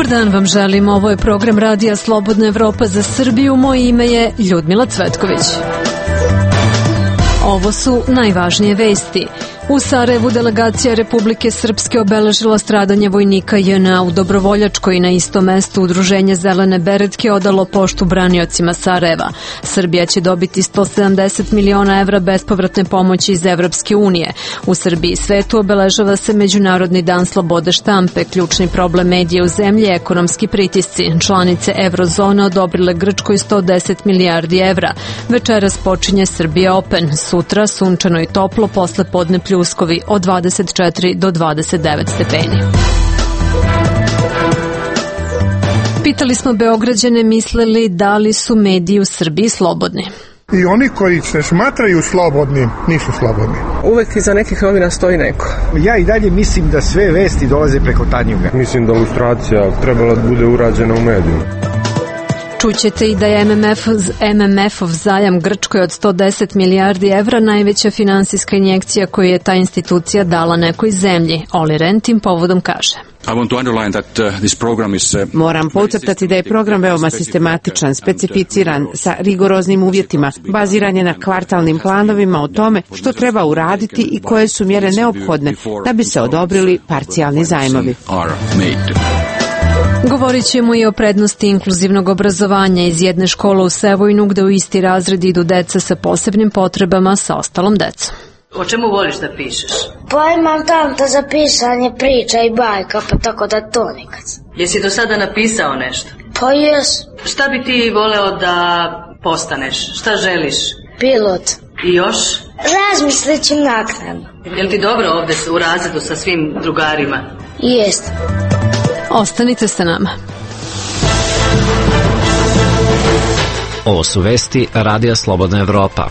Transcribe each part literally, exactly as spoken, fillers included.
Dobar dan vam želim, ovo je program Radija Slobodna Evropa za Srbiju, moje ime je Ljudmila Cvetković. Ovo su najvažnije vesti. U Sarajevu delegacija Republike Srpske obeležila stradanje vojnika J N A u Dobrovoljačkoj i na istom mestu Udruženje Zelene beretke odalo poštu braniocima Sarajeva. Srbija će dobiti sto sedamdeset miliona evra bespovratne pomoći iz Evropske unije. U Srbiji i svetu obeležava se Međunarodni dan slobode štampe. Ključni problem medija u zemlji je ekonomski pritisci. Članice Eurozone odobrile Grčkoj sto deset milijardi evra. Večeras počinje Srbija Open. Sutra sunčano i toplo, posle podne pljuskovi od dvadeset četiri do dvadeset devet stepeni. Pitali smo Beograđane mislili da li su mediji u Srbiji slobodni. I oni koji se smatraju slobodnim, nisu slobodni. Uvek iza nekih novina stoji neko. Ja i dalje mislim da sve vesti dolaze preko Tanjuga. Mislim da lustracija trebala da bude urađena u medijima. Čućete i da je M M F, M M F-ov zajam Grčkoj od sto deset milijardi evra najveća finansijska injekcija koju je ta institucija dala nekoj zemlji. Oli Rehn tim povodom kaže. Moram podcrtati da je program veoma sistematičan, specificiran, sa rigoroznim uvjetima, baziran je na kvartalnim planovima o tome što treba uraditi i koje su mjere neophodne da bi se odobrili parcijalni zajmovi. Govorit ćemo i o prednosti inkluzivnog obrazovanja iz jedne škole u Sevojnu gde u isti razred idu deca sa posebnim potrebama sa ostalom decom. O čemu voliš da pišeš? Pa imam tamta za pisanje priča i bajka, pa tako da to nikad. Jesi do sada napisao nešto? Pa jes. Šta bi ti voleo da postaneš? Šta želiš? Pilot. I još? Razmislit ću naknadno. Jel ti dobro ovde u razredu sa svim drugarima? Jest. Ostanite sa nama. Ovo su vesti Radija Slobodna Evropa.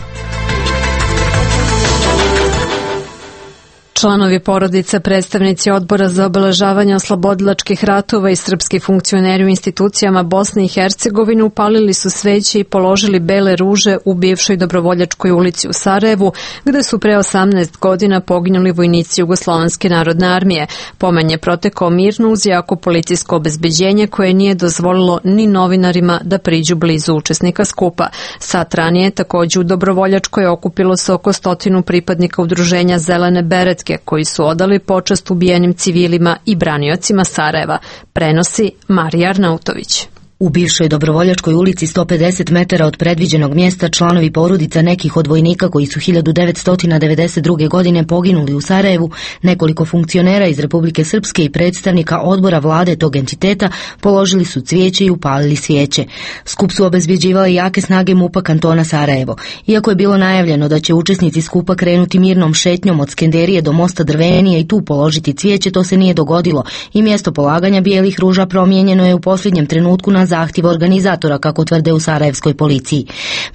Članovi porodica, predstavnici odbora za obeležavanje oslobodilačkih ratova i srpski funkcioneri u institucijama Bosne i Hercegovine upalili su sveće i položili bele ruže u bivšoj Dobrovoljačkoj ulici u Sarajevu, gde su pre osamnaest godina poginuli vojnici Jugoslovenske narodne armije. Pomen je protekao mirno uz jako policijsko obezbeđenje koje nije dozvolilo ni novinarima da priđu blizu učesnika skupa. Sat ranije takođe u Dobrovoljačkoj okupilo se oko stotinu pripadnika Udruženja Zelene beretke koji su odali počast ubijenim civilima i braniocima Sarajeva, prenosi Marija Arnautović. U bivšoj Dobrovoljačkoj ulici sto pedeset metara od predviđenog mjesta članovi porodica nekih od vojnika koji su hiljadu devetsto devedeset druge. godine poginuli u Sarajevu, nekoliko funkcionera iz Republike Srpske i predstavnika odbora vlade tog entiteta položili su cvijeće i upalili svijeće. Skup su obezbjeđivale jake snage MUP-a kantona Sarajevo. Iako je bilo najavljeno da će učesnici skupa krenuti mirnom šetnjom od Skenderije do mosta Drvenije i tu položiti cvijeće, to se nije dogodilo i mjesto polaganja bijelih ruža promijenjeno je u posljednjem trenutku na zahtjev organizatora, kako tvrde u sarajevskoj policiji.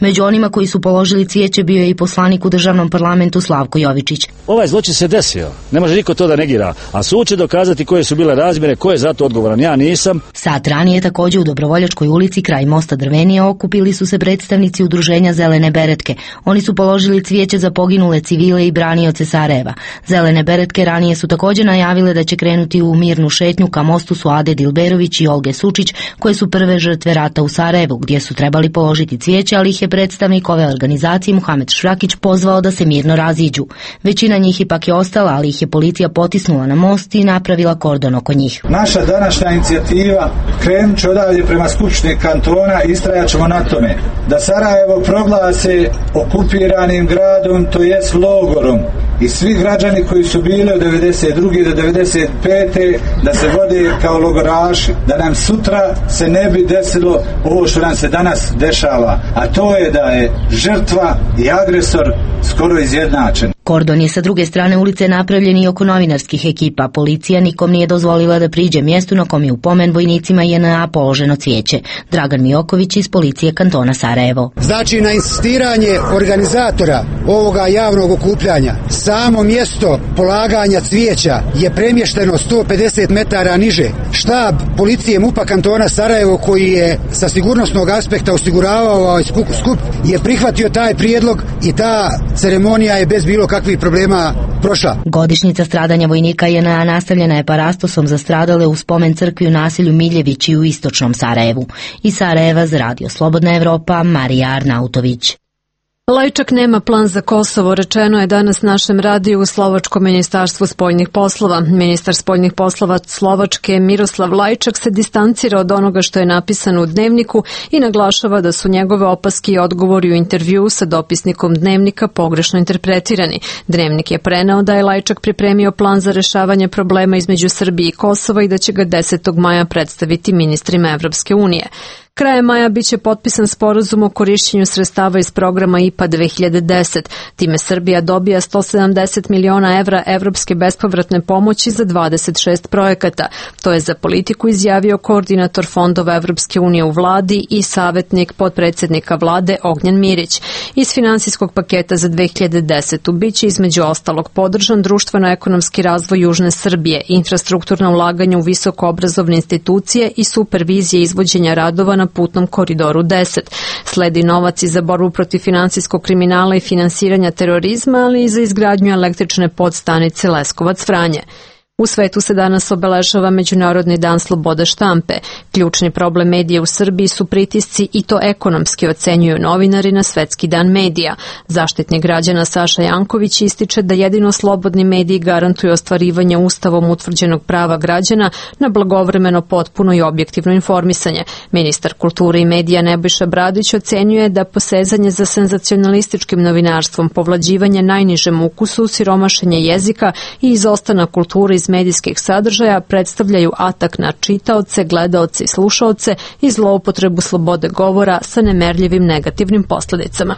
Među onima koji su položili cvijeće bio je i poslanik u državnom parlamentu Slavko Jovičić. Ovaj zločin se desio, ne može niko to da negira, a sud će dokazati koje su bile razmjere, ko je za to odgovoran, ja nisam. Sat ranije također u Dobrovoljačkoj ulici kraj mosta Drvenije okupili su se predstavnici Udruženja Zelene beretke. Oni su položili cvijeće za poginule civile i branioce Sarajeva. Zelene beretke ranije su također najavile da će krenuti u mirnu šetnju ka mostu Suade Dilberović i Olge Sučić, koje su prve žrtve rata u Sarajevu, gdje su trebali položiti cvijeće, ali ih je predstavnik ove organizacije Muhamed Šrakić pozvao da se mirno raziđu. Većina njih ipak je ostala, ali ih je policija potisnula na most i napravila kordon oko njih. Naša današnja inicijativa krenut će odavdje prema Skupštini kantona i istrajat ćemo na tome da Sarajevo proglase okupiranim gradom, to jest logorom, i svi građani koji su bili od devedeset druge do devedeset pete da se vode kao logoraši, da nam sutra se ne bi desilo ovo što nam se danas dešava, a to je da je žrtva i agresor skoro izjednačen. Kordon je sa druge strane ulice napravljen i oko novinarskih ekipa. Policija nikom nije dozvolila da priđe mjestu na kom je u pomen vojnicima J N A položeno cvijeće. Dragan Mijoković iz policije kantona Sarajevo. Znači, na insistiranje organizatora ovoga javnog okupljanja, samo mjesto polaganja cvijeća je premješteno sto pedeset metara niže. Štab policije MUP-a kantona Sarajevo, koji je sa sigurnosnog aspekta osiguravao ovaj skup, je prihvatio taj prijedlog i ta ceremonija je bez bilo kakvih problema prošla. Godišnjica stradanja vojnika J N A nastavljena je parastosom za stradale u spomen crkvi u naselju Miljevići u istočnom Sarajevu. Iz Sarajeva za Radio Slobodna Evropa, Marija Arnautović. Lajčak nema plan za Kosovo, rečeno je danas našem radiju u Slovačkom ministarstvu spoljnih poslova. Ministar spoljnih poslova Slovačke Miroslav Lajčak se distancira od onoga što je napisano u dnevniku i naglašava da su njegove opaske i odgovori u intervjuu sa dopisnikom dnevnika pogrešno interpretirani. Dnevnik je preneo da je Lajčak pripremio plan za rešavanje problema između Srbije i Kosova i da će ga desetog maja predstaviti ministrima Evropske unije. Krajem maja biće potpisan sporazum o korišćenju sredstava iz programa I P A dve hiljade deset. Time Srbija dobija sto sedamdeset miliona evra evropske bespovratne pomoći za dvadeset šest projekata. To je za politiku izjavio koordinator fondova Evropske unije u vladi i savjetnik potpredsjednika vlade Ognjen Mirić. Iz finansijskog paketa za dve hiljade desetu biće između ostalog podržan društveno-ekonomski razvoj Južne Srbije, infrastrukturna ulaganja u visokoobrazovne institucije i supervizije izvođenja radova na putnom koridoru deset. Sledi novac i za borbu protiv finansijskog kriminala i finansiranja terorizma, ali i za izgradnju električne podstanice Leskovac-Vranje. U svetu se danas obeležava Međunarodni dan slobode štampe. Ključni problem medija u Srbiji su pritisci i to ekonomski, ocenjuju novinari na Svetski dan medija. Zaštitnik građana Saša Janković ističe da jedino slobodni mediji garantuju ostvarivanje ustavom utvrđenog prava građana na blagovremeno, potpuno i objektivno informisanje. Ministar kulture i medija Nebojša Bradić ocenjuje da posezanje za senzacionalističkim novinarstvom, povlađivanje najnižem ukusu, siromašenje jezika i izostanak kulture iz medijskih sadržaja predstavljaju atak na čitaoce, gledaoce i slušaoce i zloupotrebu slobode govora sa nemerljivim negativnim posljedicama.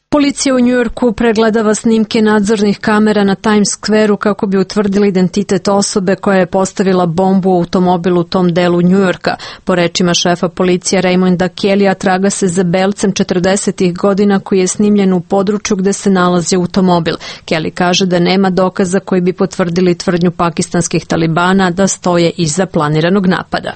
Policija u Njujorku pregledava snimke nadzornih kamera na Times Square-u kako bi utvrdili identitet osobe koja je postavila bombu u automobilu u tom delu Njujorka. Po rečima šefa policije Raymonda Kellya, traga se za belcem četrdesetih godina koji je snimljen u području gde se nalazi automobil. Kelly kaže da nema dokaza koji bi potvrdili tvrdnju pakistanskih talibana da stoje iza planiranog napada.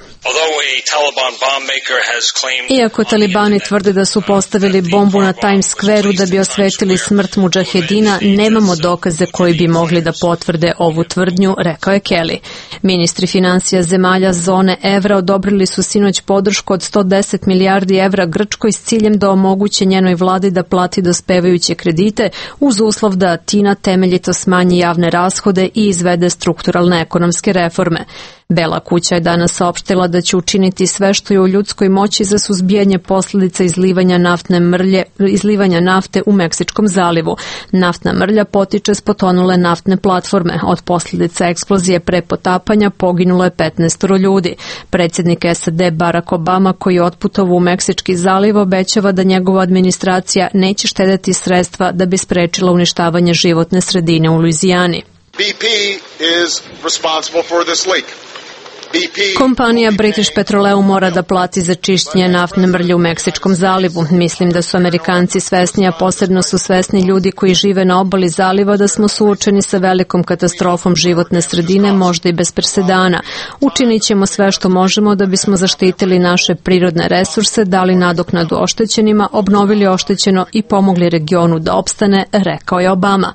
Iako talibani tvrde da su postavili bombu na Times Square-u da bi osvetili smrt mudžahedina, nemamo dokaze koji bi mogli da potvrde ovu tvrdnju, rekao je Kelly. Ministri finansija zemalja zone evra odobrili su sinoć podršku od sto deset milijardi evra Grčkoj s ciljem da omoguće njenoj vladi da plati dospevajuće kredite uz uslov da Atina temeljito smanji javne rashode i izvede strukturalne ekonomske reforme. Bela kuća je danas saopštila da će učiniti sve što je u ljudskoj moći za suzbijanje posljedica izlivanja naftne mrlje, izlivanja nafte u Meksičkom zalivu. Naftna mrlja potiče s potonule naftne platforme. Od posljedica eksplozije pre potapanja poginulo je petnaest ljudi. Predsjednik S A D Barack Obama, koji je otputovao u Meksički zaliv, obećava da njegova administracija neće štedeti sredstva da bi sprečila uništavanje životne sredine u Luizijani. B P is responsible for this leak. Kompanija British Petroleum mora da plati za čišćenje naftne mrlje u Meksičkom zalivu. Mislim da su Amerikanci svesni, a posebno su svesni ljudi koji žive na obali zaliva, da smo suočeni sa velikom katastrofom životne sredine, možda i bez presedana. Učinit ćemo sve što možemo da bismo zaštitili naše prirodne resurse, dali nadoknadu oštećenima, obnovili oštećeno i pomogli regionu da opstane, rekao je Obama.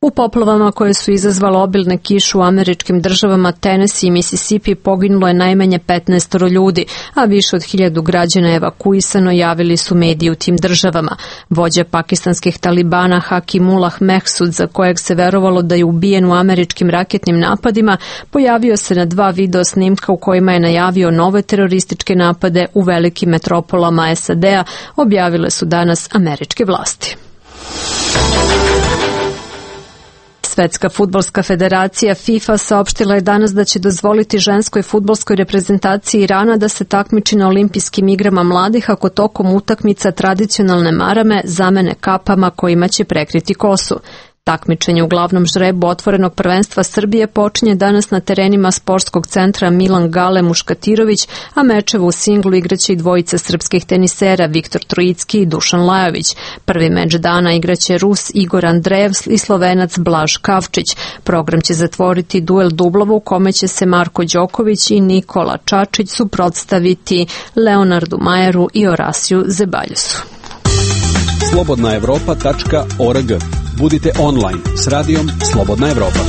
U poplavama koje su izazvale obilne kiše u američkim državama Tennessee i Mississippi poginulo je najmanje petnaest ljudi, a više od hiljadu građana evakuisano, javili su mediji u tim državama. Vođa pakistanskih talibana Hakimullah Mehsud, za kojeg se verovalo da je ubijen u američkim raketnim napadima, pojavio se na dva video snimka u kojima je najavio nove terorističke napade u velikim metropolama S A D-a, objavile su danas američke vlasti. Svetska fudbalska federacija FIFA saopštila je danas da će dozvoliti ženskoj fudbalskoj reprezentaciji Irana da se takmiči na olimpijskim igrama mladih ako tokom utakmica tradicionalne marame zamene kapama kojima će prekriti kosu. Takmičenje u glavnom žrebu otvorenog prvenstva Srbije počinje danas na terenima sportskog centra Milan Gale Muškatirović, a mečeve u singlu igraće i dvojica srpskih tenisera Viktor Trojicki i Dušan Lajović. Prvi meč dana igraće Rus Igor Andrejev i Slovenac Blaž Kavčić. Program će zatvoriti duel dublova u kome će se Marko Đoković i Nikola Čačić suprotstaviti Leonardu Majeru i Orasiju Zebaljusu. slobodna evropa tačka org. Budite online s radijom Slobodna Evropa.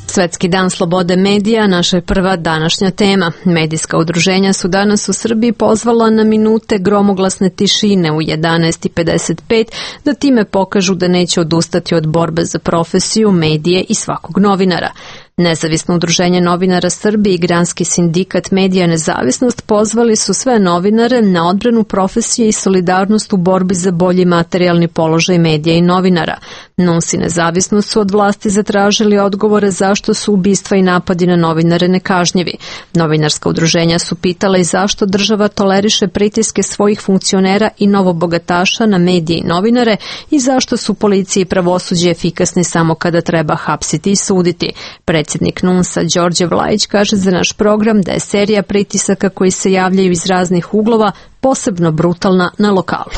Svetski dan slobode medija, naša je prva današnja tema. Medijska udruženja su danas u Srbiji pozvala na minute gromoglasne tišine u jedanaest i pedeset pet da time pokažu da neće odustati od borbe za profesiju, medije i svakog novinara. Nezavisno udruženje novinara Srbije i Granski sindikat Medija Nezavisnost pozvali su sve novinare na odbranu profesije i solidarnost u borbi za bolji materijalni položaj medija i novinara. N U S i Nezavisnost su od vlasti zatražili odgovore zašto su ubistva i napadi na novinare nekažnjivi. Novinarska udruženja su pitala i zašto država toleriše pritiske svojih funkcionera i novobogataša na medije i novinare i zašto su policija i pravosuđe efikasni samo kada treba hapsiti i suditi. Predsjednik N U S-a Đorđe Vlajić kaže za naš program da je serija pritisaka koji se javljaju iz raznih uglova posebno brutalna na lokalu.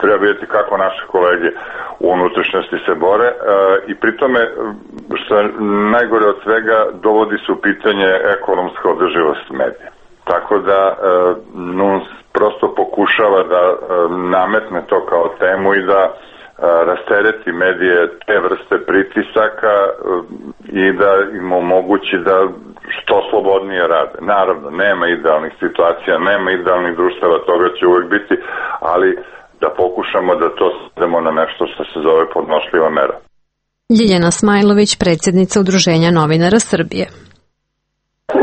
Treba vidjeti kako naše kolege u unutrašnjosti se bore e, i pri tome, što je najgore od svega, dovodi se u pitanje ekonomska održivost medija. Tako da e, N U S prosto pokušava da e, nametne to kao temu i da rastereti medije te vrste pritisaka i da im omogući da što slobodnije rade. Naravno, nema idealnih situacija, nema idealnih društava, toga će uvijek biti, ali da pokušamo da to svedemo na nešto što se zove podnošljiva mera. Ljiljana Smajlović, predsjednica Udruženja novinara Srbije.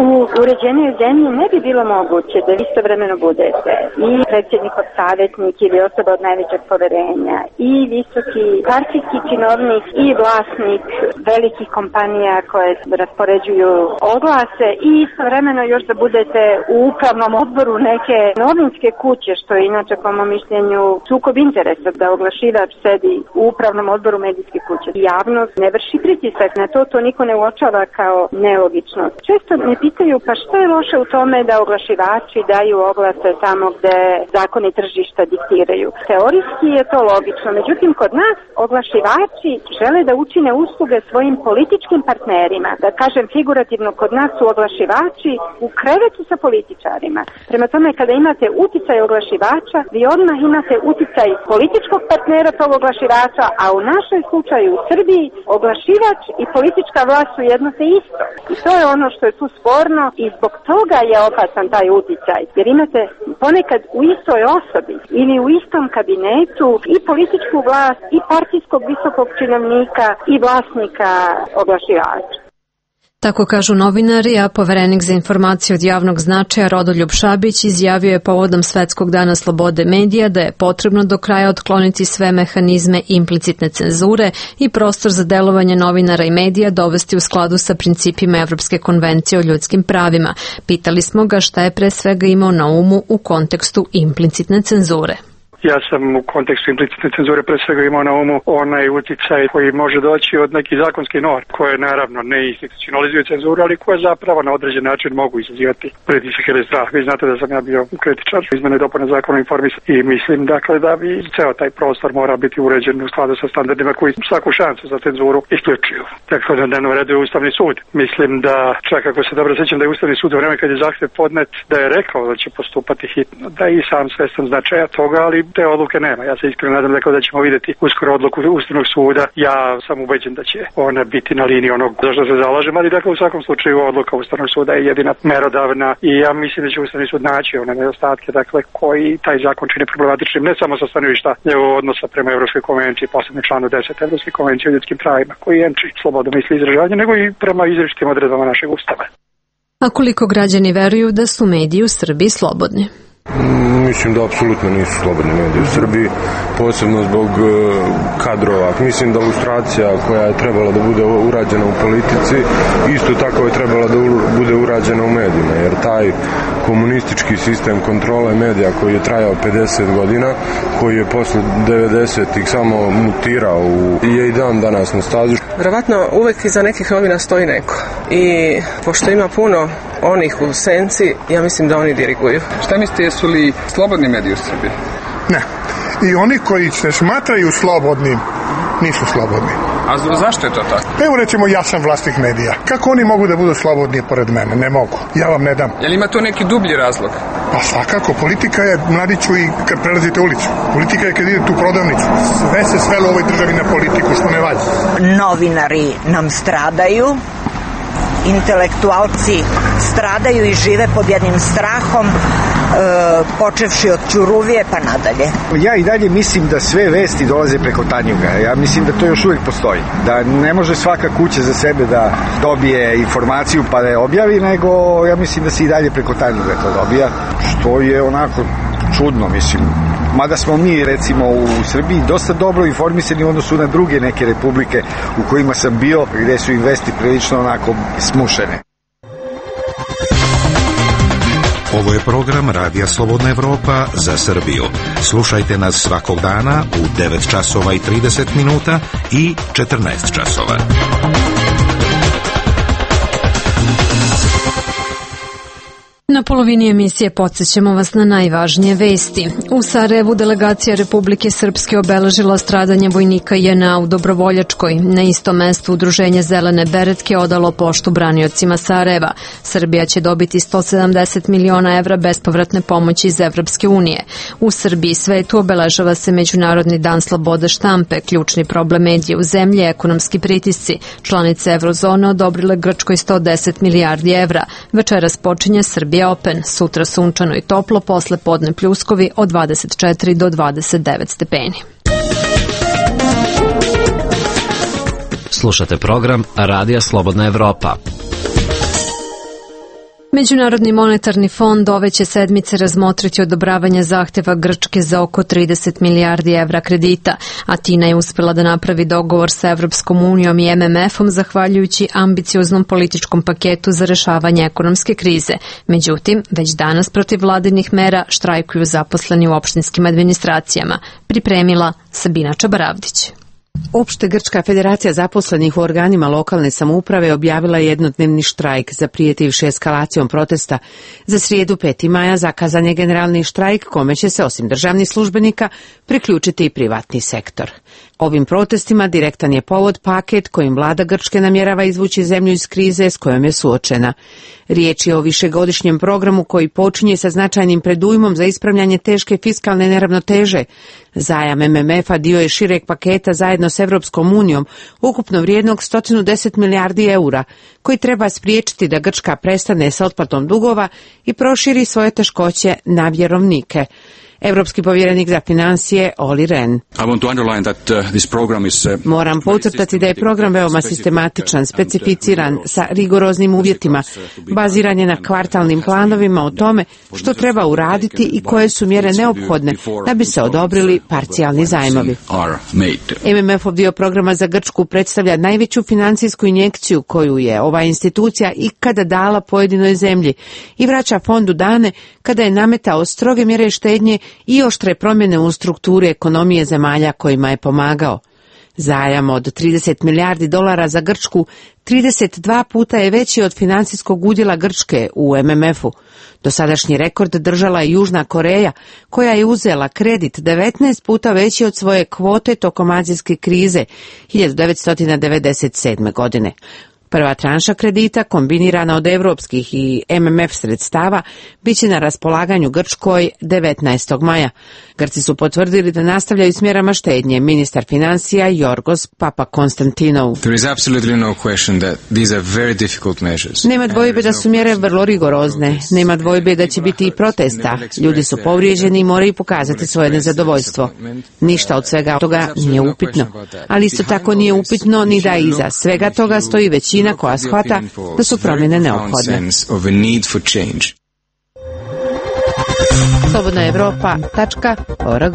U uređenoj zemlji ne bi bilo moguće da istovremeno budete i predsjednikov savjetnik ili osoba od najvećeg poverenja i visoki partijski činovnik i vlasnik velikih kompanija koje raspoređuju oglase i istovremeno još da budete u upravnom odboru neke novinske kuće, što je inače po mom mišljenju sukob interesa, da oglašivač sedi u upravnom odboru medijske kuće. Javnost ne vrši pritisak na to, to niko ne uočava kao nelogičnost. Često me pitaju pa što je loše u tome da oglašivači daju oglase tamo gde zakoni tržišta diktiraju. Teorijski je to logično, međutim kod nas oglašivači žele da učine usluge svojim političkim partnerima. Da kažem figurativno, kod nas su oglašivači u krevetu sa političarima. Prema tome kada imate uticaj oglašivača, vi odmah imate uticaj političkog partnera tog oglašivača, a u našoj slučaju u Srbiji oglašivač i politička vlast su jedno te isto. I to je ono što je tu sporno i zbog toga je opasan taj uticaj. Jer imate ponekad u istoj osobi ili u istom kabinetu i političku vlast i partijskog visokog činovnika i vlasnika oglašivača. Tako kažu novinari, a poverenik za informacije od javnog značaja Rodoljub Šabić izjavio je povodom Svetskog dana slobode medija da je potrebno do kraja otkloniti sve mehanizme implicitne cenzure i prostor za delovanje novinara i medija dovesti u skladu sa principima Evropske konvencije o ljudskim pravima. Pitali smo ga šta je pre svega imao na umu u kontekstu implicitne cenzure. Ja sam u kontekstu implicitne cenzure pre svega imao na umu onaj uticaj koji može doći od nekih zakonskih norm, koje naravno ne institucionalizuju cenzuru, ali koje zapravo na određen način mogu izazivati pritisak ili strah. Vi znate da sam ja bio kritičar izmene i dopune zakona o informisanju i mislim dakle da bi ceo taj prostor mora biti uređen u skladu sa standardima koji svaku šansu za cenzuru isključuju. Dakle, na dnevnom redu je Ustavni sud. Mislim da, čak ako se dobro sećam, da je Ustavni sud u vreme kad je zahtev podnet da je rekao da će postupati hitno, da je i sam svestan značaja toga, ali te odluke nema. Ja se iskreno nadam dakle, da ćemo vidjeti uskoro odluku Ustavnog suda. Ja sam ubeđen da će ona biti na liniji onog za što se zalažem, ali dakle u svakom slučaju odluka Ustavnog suda je jedina merodavna i ja mislim da će Ustavni sud naći one nedostatke dakle, koji taj zakon čini problematičnim, ne samo sa stanovišta njegovog odnosa prema Evropskoj konvenciji, posebno članu deset Evropske konvencije o ljudskim pravima, koji jemči slobodu misli i izražavanja, nego i prema izričitim odredbama našeg Ustava. A koliko građani veruju da su mediji u Srbiji slobodni? Mislim da apsolutno nisu slobodni mediji u Srbiji, posebno zbog kadrova. Mislim da lustracija koja je trebala da bude urađena u politici, isto tako je trebala da bude urađena u medijima, jer taj komunistički sistem kontrole medija koji je trajao pedeset godina, koji je posle devedesetih samo mutirao u, je i dan danas na stazu. Verovatno uvek iza nekih novina stoji neko i pošto ima puno onih u senci, ja mislim da oni diriguju. Šta mislite, jesu li slobodni mediji u Srbiji? Ne. I oni koji se smatraju slobodnim, nisu slobodni. A zašto je to tako? Evo recimo ja sam vlasnik medija. Kako oni mogu da budu slobodni pored mene? Ne mogu. Ja vam ne dam. Je li ima to neki dublji razlog? Pa svakako, politika je, mladiću, i kad prelazite ulicu. Politika je kad idete u prodavnicu. Sve se svelo u ovoj državi na politiku, što ne valja. Novinari nam stradaju, intelektualci stradaju i žive pod jednim strahom, e, počevši od Ćuruvije pa nadalje. Ja i dalje mislim da sve vesti dolaze preko Tanjuga. Ja mislim da to još uvijek postoji. Da ne može svaka kuća za sebe da dobije informaciju pa da je objavi, nego ja mislim da se i dalje preko Tanjuga to dobija, što je onako čudno, mislim. Mada smo mi, recimo, u Srbiji dosta dobro informisani u odnosu na druge neke republike u kojima sam bio, gde su im vesti prilično onako smušene. Ovo je program Radija Slobodna Evropa za Srbiju. Slušajte nas svakog dana u devet časova i trideset minuta i četrnaest časova. Na polovini emisije podsjećamo vas na najvažnije vesti. U Sarajevu delegacija Republike Srpske obeležila stradanje vojnika J N A u Dobrovoljačkoj. Na istom mestu Udruženje Zelene beretke odalo poštu braniocima Sarajeva. Srbija će dobiti sto sedamdeset miliona evra bespovratne pomoći iz Evropske unije. U Srbiji i svetu obeležava se Međunarodni dan slobode štampe. Ključni problem medija u zemlji je ekonomski pritisci. Članice Eurozone odobrile Grčkoj sto deset milijardi evra. Večeras počinje Srbija Open, sutra sunčano i toplo, posle podne pljuskovi od dvadeset četiri do dvadeset devet stepeni. Slušate program Radija Slobodna Evropa. Međunarodni monetarni fond ove će sedmice razmotriti odobravanje zahteva Grčke za oko trideset milijardi evra kredita. Atina je uspela da napravi dogovor sa Evropskom unijom i M M F-om zahvaljujući ambicioznom političkom paketu za rešavanje ekonomske krize. Međutim, već danas protiv vladinih mera štrajkuju zaposleni u opštinskim administracijama. Pripremila Sabina Čabaravdić. Opšte grčka federacija zaposlenih u organima lokalne samouprave objavila je jednodnevni štrajk zaprijetivši eskalacijom protesta. Za srijedu peti maja zakazan je generalni štrajk kome će se osim državnih službenika priključiti i privatni sektor. Ovim protestima direktan je povod paket kojim vlada Grčke namjerava izvući zemlju iz krize s kojom je suočena. Riječ je o višegodišnjem programu koji počinje sa značajnim predujmom za ispravljanje teške fiskalne neravnoteže. Zajam M M F-a dio je šireg paketa zajedno s Evropskom unijom, ukupno vrijednog sto deset milijardi eura, koji treba spriječiti da Grčka prestane sa otplatom dugova i proširi svoje teškoće na vjerovnike. Evropski povjerenik za financije Olli Rehn. Moram podcrtati da je program veoma sistematičan, specificiran, sa rigoroznim uvjetima, baziran je na kvartalnim planovima o tome što treba uraditi i koje su mjere neophodne da bi se odobrili parcijalni zajmovi. M M F-ov dio programa za Grčku predstavlja najveću financijsku injekciju koju je ova institucija ikada dala pojedinoj zemlji i vraća fondu dane kada je nametao stroge mjere štednje i oštre promjene u strukturi ekonomije zemalja kojima je pomagao. Zajam od trideset milijardi dolara za Grčku trideset dva puta je veći od financijskog udjela Grčke u M M F-u. Dosadašnji rekord držala je Južna Koreja, koja je uzela kredit devetnaest puta veći od svoje kvote tokom azijske krize hiljadu devetsto devedeset sedme. godine. Prva tranša kredita, kombinirana od evropskih i M M F sredstava, bit će na raspolaganju Grčkoj devetnaestog maja. Grci su potvrdili da nastavljaju s mjerama štednje. Ministar financija Jorgos Papakonstantinou. Nema dvojbe da su mjere vrlo rigorozne. Nema dvojbe da će biti i protesta. Ljudi su povrijeđeni i moraju pokazati svoje nezadovoljstvo. Ništa od svega toga nije upitno. Ali isto tako nije upitno ni da iza svega toga stoji većina koja shvata da su promjene neophodne. slobodna evropa tačka org.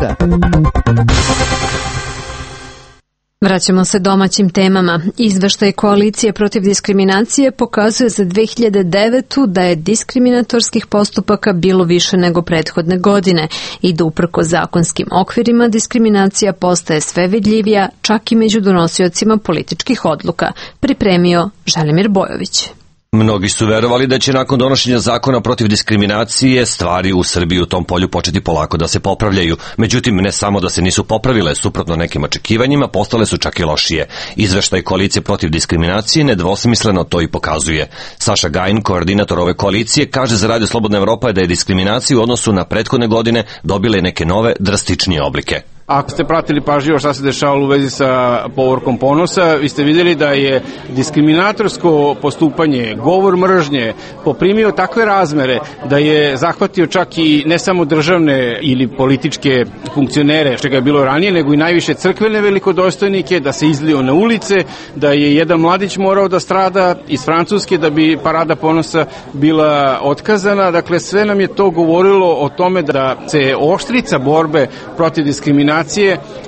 Vraćamo se domaćim temama. Izveštaj Koalicije protiv diskriminacije pokazuje za dve hiljade devetu. da je diskriminatorskih postupaka bilo više nego prethodne godine i da uprko zakonskim okvirima diskriminacija postaje sve vidljivija, čak i među donosiocima političkih odluka. Pripremio Želimir Bojović. Mnogi su verovali da će nakon donošenja zakona protiv diskriminacije stvari u Srbiji u tom polju početi polako da se popravljaju. Međutim, ne samo da se nisu popravile, suprotno nekim očekivanjima, postale su čak i lošije. Izveštaj koalicije protiv diskriminacije nedvosmisleno to i pokazuje. Saša Gajin, koordinator ove koalicije, kaže za Radio Slobodna Evropa da je diskriminacija u odnosu na prethodne godine dobile neke nove, drastičnije oblike. Ako ste pratili pažljivo šta se dešavalo u vezi sa povorkom ponosa, vi ste vidjeli da je diskriminatorsko postupanje, govor mržnje poprimio takve razmere da je zahvatio čak i ne samo državne ili političke funkcionere, što ga je bilo ranije, nego i najviše crkvene velikodostojnike, da se izlio na ulice, da je jedan mladić morao da strada iz Francuske da bi parada ponosa bila otkazana. Dakle, sve nam je to govorilo o tome da se oštrica borbe protiv diskriminacije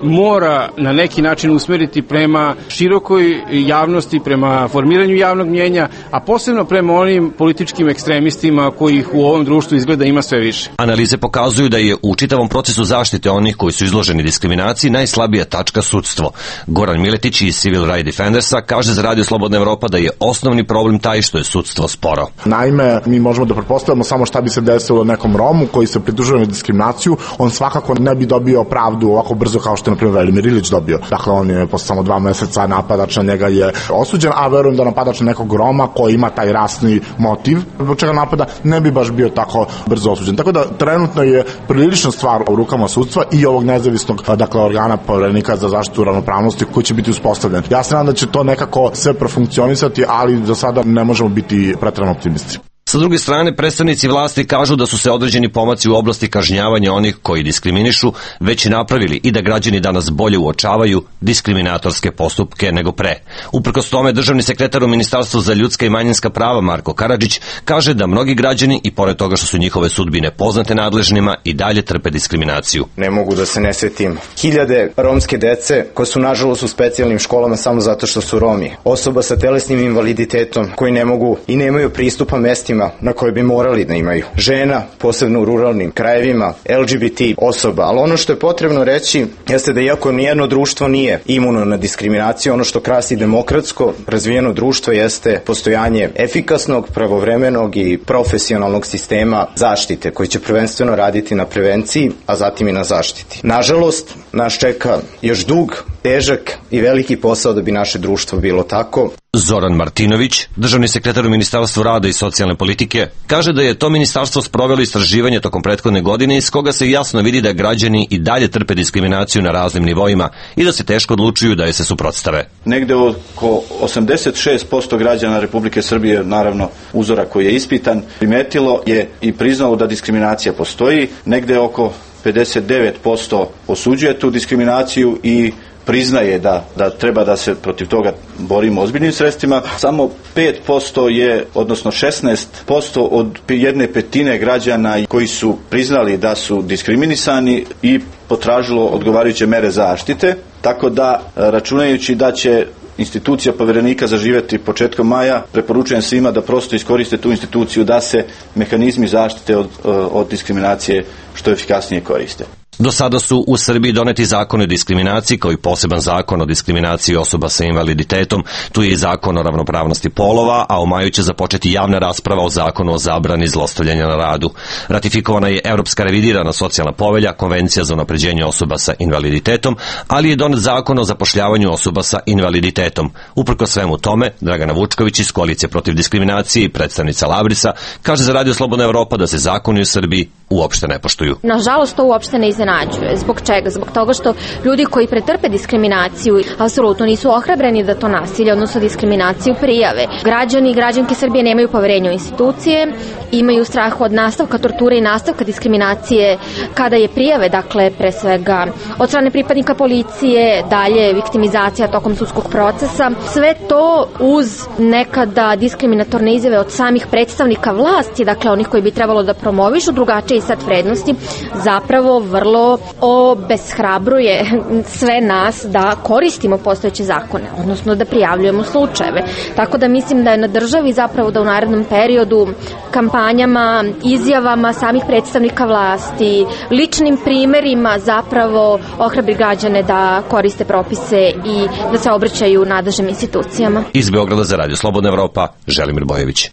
mora na neki način usmeriti prema širokoj javnosti, prema formiranju javnog mnjenja, a posebno prema onim političkim ekstremistima kojih u ovom društvu izgleda ima sve više. Analize pokazuju da je u čitavom procesu zaštite onih koji su izloženi diskriminaciji najslabija tačka sudstvo. Goran Miletić iz Civil Rights Defendersa kaže za Radio Slobodna Evropa da je osnovni problem taj što je sudstvo sporo. Naime, mi možemo da pretpostavimo samo šta bi se desilo nekom Romu koji se pritužuje na diskriminaciju, on svakako ne bi dobio pravdu ovako brzo kao što je, na primjer, Velimir Ilić dobio. Dakle, on je posle samo dva meseca napadač na njega je osuđen, a verujem da napadač na nekog Roma koji ima taj rasni motiv zbog čega napada, ne bi baš bio tako brzo osuđen. Tako da, trenutno je prilična stvar u rukama sudstva i ovog nezavisnog, dakle, organa Poverenika za zaštitu ravnopravnosti koji će biti uspostavljen. Ja se nadam da će to nekako sve profunkcionisati, ali za sada ne možemo biti preterano optimisti. Sa druge strane, predstavnici vlasti kažu da su se određeni pomaci u oblasti kažnjavanja onih koji diskriminišu već napravili i da građani danas bolje uočavaju diskriminatorske postupke nego pre. Uprkos tome, državni sekretar u Ministarstvu za ljudska i manjinska prava Marko Karadžić kaže da mnogi građani, i pored toga što su njihove sudbine poznate nadležnima, i dalje trpe diskriminaciju. Ne mogu da se ne setim hiljade romske dece koje su nažalost u specijalnim školama samo zato što su Romi. Osoba sa telesnim invaliditetom koji ne mogu i nemaju pristupa mestima na koje bi morali da imaju. Žena, posebno u ruralnim krajevima, L G B T osoba. Ali ono što je potrebno reći jeste da iako nijedno društvo nije imuno na diskriminaciju, ono što krasi demokratsko razvijeno društvo jeste postojanje efikasnog, pravovremenog i profesionalnog sistema zaštite koji će prvenstveno raditi na prevenciji, a zatim i na zaštiti. Nažalost, nas čeka još dug, težak i veliki posao da bi naše društvo bilo tako. Zoran Martinović, državni sekretar u Ministarstvu rada i socijalne politike, kaže da je to ministarstvo sprovelo istraživanje tokom prethodne godine iz koga se jasno vidi da građani i dalje trpe diskriminaciju na raznim nivoima i da se teško odlučuju da je se suprotstave. Negde oko osamdeset šest posto građana Republike Srbije, naravno uzora koji je ispitan, primetilo je i priznalo da diskriminacija postoji. Negde oko pedeset devet posto osuđuje tu diskriminaciju i priznaje da, da treba da se protiv toga borimo ozbiljnim sredstvima. Samo pet posto je, odnosno šesnaest posto od jedne petine građana koji su priznali da su diskriminisani i potražilo odgovarajuće mere zaštite. Tako da, računajući da će institucija Poverenika zaživeti početkom maja, preporučujem svima da prosto iskoriste tu instituciju da se mehanizmi zaštite od, od diskriminacije što efikasnije koriste. Do sada su u Srbiji doneti zakon o diskriminaciji kao i poseban zakon o diskriminaciji osoba sa invaliditetom. Tu je i zakon o ravnopravnosti polova, a u maju će započeti javna rasprava o zakonu o zabrani zlostavljanja na radu. Ratifikovana je Evropska revidirana socijalna povelja, Konvencija za unapređenje osoba sa invaliditetom, ali je donet zakon o zapošljavanju osoba sa invaliditetom. Uprkos svemu tome, Dragana Vučković iz Koalicije protiv diskriminacije i predstavnica Labrisa kaže za Radio Slobodna Evropa da se zakoni u Srbiji uopšte ne poštuju. Nažalost, to uopšte ne iznenađuje. Zbog čega? Zbog toga što ljudi koji pretrpe diskriminaciju apsolutno nisu ohrabreni da to nasilje, odnosno diskriminaciju prijave. Građani i građanke Srbije nemaju poverenja u institucije, imaju strah od nastavka torture i nastavka diskriminacije kada je prijave, dakle, pre svega od strane pripadnika policije, dalje viktimizacija tokom sudskog procesa. Sve to uz nekada diskriminatorne izjave od samih predstavnika vlasti, dakle onih koji bi trebalo da promovišu drugačije set vrednosti, zapravo vrlo obeshrabruje sve nas da koristimo postojeće zakone, odnosno da prijavljujemo slučajeve. Tako da mislim da je na državi zapravo da u narednom periodu kampanjama, izjavama samih predstavnika vlasti, ličnim primerima zapravo ohrabri građane da koriste propise i da se obraćaju nadležnim institucijama. Iz Beograda za Radio Slobodna Evropa, Želimir Bojević.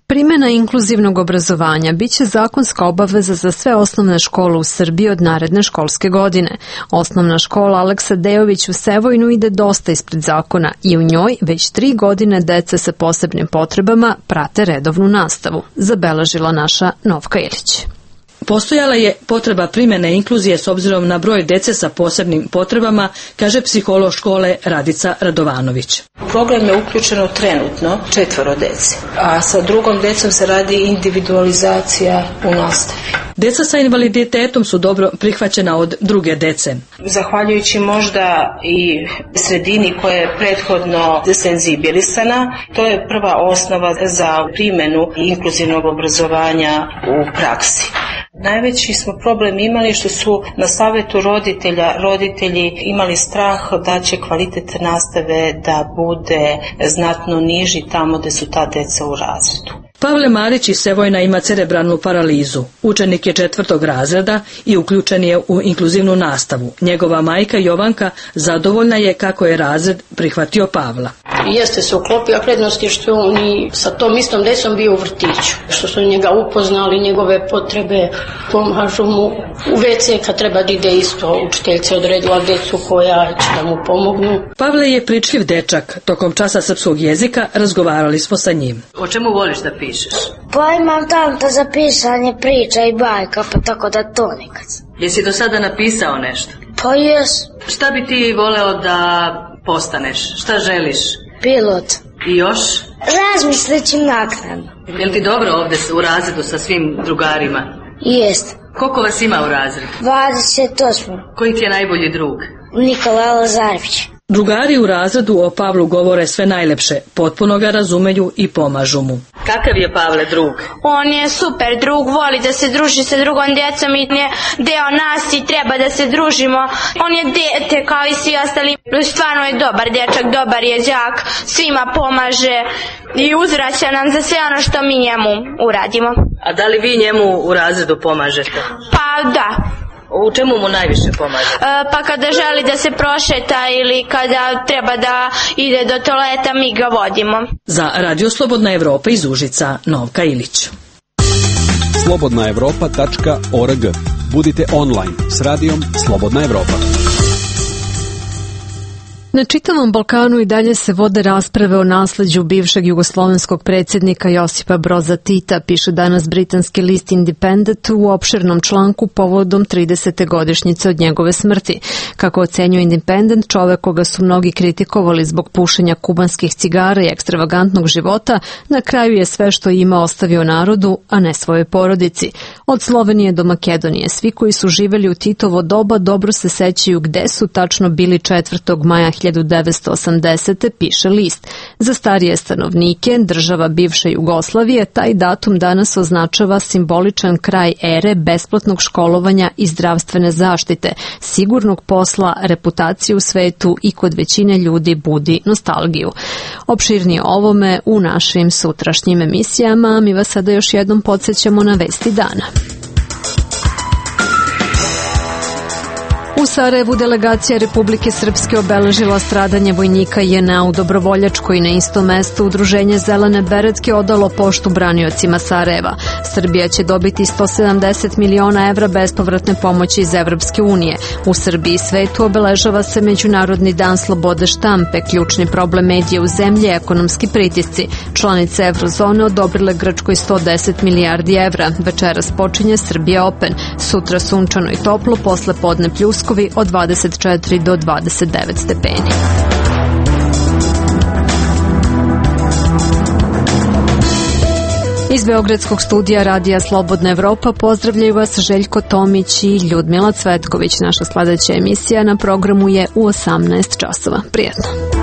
Primena inkluzivnog obrazovanja biće zakonska obaveza za sve osnovne škole u Srbiji od naredne školske godine. Osnovna škola Aleksa Dejović u Sevojnu ide dosta ispred zakona i u njoj već tri godine deca sa posebnim potrebama prate redovnu nastavu, zabeležila naša Novka Ilić. Postojala je potreba primjene inkluzije s obzirom na broj dece sa posebnim potrebama, kaže psiholog škole Radica Radovanović. U program je uključeno trenutno četvoro dece, a sa drugom decom se radi individualizacija u nastavi. Deca sa invaliditetom su dobro prihvaćena od druge dece. Zahvaljujući možda i sredini koja je prethodno senzibilisana, to je prva osnova za primjenu inkluzivnog obrazovanja u praksi. Najveći smo problem imali što su na savjetu roditelja roditelji imali strah da će kvalitet nastave da bude znatno niži tamo gde su ta deca u razredu. Pavle Marić iz Sevojna ima cerebralnu paralizu. Učenik je četvrtog razreda i uključen je u inkluzivnu nastavu. Njegova majka Jovanka zadovoljna je kako je razred prihvatio Pavla. Jeste se uklopio, a prednost je što on i sa tom istom decom bio u vrtiću. Što su njega upoznali, njegove potrebe, pomažu mu u ve ce kad treba da ide isto. Učiteljica odredila decu koja će da mu pomognu. Pavle je pričljiv dečak. Tokom časa srpskog jezika razgovarali smo sa njim. O čemu voliš da pišeš? Pa imam tamto za pisanje priča i bajka, pa tako da to nekad. Jesi do sada napisao nešto? Pa jes. Šta bi ti voleo da postaneš? Šta želiš? Pilot. I još? Razmislit ću naknadno. Je li ti dobro ovdje u razredu sa svim drugarima? Jest. Koliko vas ima u razredu? dvadeset osam. Koji ti je najbolji drug? Nikola Lazarević. Drugari u razredu o Pavlu govore sve najlepše, potpuno ga razumeju i pomažu mu. Kakav je Pavle drug? On je super drug, voli da se druži sa drugom djecom i je deo nas i treba da se družimo. On je dete kao i svi ostali, stvarno je dobar dječak, dobar je đak, svima pomaže i uzvraća nam za sve ono što mi njemu uradimo. A da li vi njemu u razredu pomažete? Pa da. U čemu mu najviše pomaže? E, pa kada želi da se prošeta ili kada treba da ide do toaleta, mi ga vodimo. Za Radio Slobodna Evropa iz Užica, Novka Ilić. slobodna evropa tačka org. Budite online s radijom Slobodna Evropa. Na čitavom Balkanu i dalje se vode rasprave o nasleđu bivšeg jugoslovenskog predsjednika Josipa Broza Tita, piše danas britanski list Independent u opširnom članku povodom tridesete godišnjice od njegove smrti. Kako ocenjuje Independent, čovek koga su mnogi kritikovali zbog pušenja kubanskih cigara i ekstravagantnog života, na kraju je sve što ima ostavio narodu, a ne svojoj porodici. Od Slovenije do Makedonije, svi koji su živeli u Titovo doba dobro se sećaju gde su tačno bili četvrtog maja hiljadu devetsto osamdesete. piše list. Za starije stanovnike država bivše Jugoslavije taj datum danas označava simboličan kraj ere besplatnog školovanja i zdravstvene zaštite, sigurnog posla, reputacije u svetu i kod većine ljudi budi nostalgiju. Opširnije ovome u našim sutrašnjim emisijama, mi vas sada još jednom podsjećamo na vesti dana. U Sarajevu delegacija Republike Srpske obeležila stradanje vojnika je en a u Dobrovoljačkoj. Na istom mestu udruženje Zelene beretke odalo poštu braniocima Sarajeva. Srbija će dobiti sto sedamdeset miliona evra bespovratne pomoći iz Evropske unije. U Srbiji i svetu obeležava se Međunarodni dan slobode štampe. Ključni problem medija u zemlji je ekonomski pritisci. Članice Eurozone odobrile Grčkoj sto deset milijardi evra. Večeras počinje Srbija Open. Sutra sunčano i toplo, posle podne pljuskovi od dvadeset četiri do dvadeset devet stepeni. Iz Beogradskog studija Radija Slobodna Evropa pozdravljaju vas Željko Tomić i Ljudmila Cvetković. Naša sledeća emisija na programu je u osamnaest časova. Prijetno.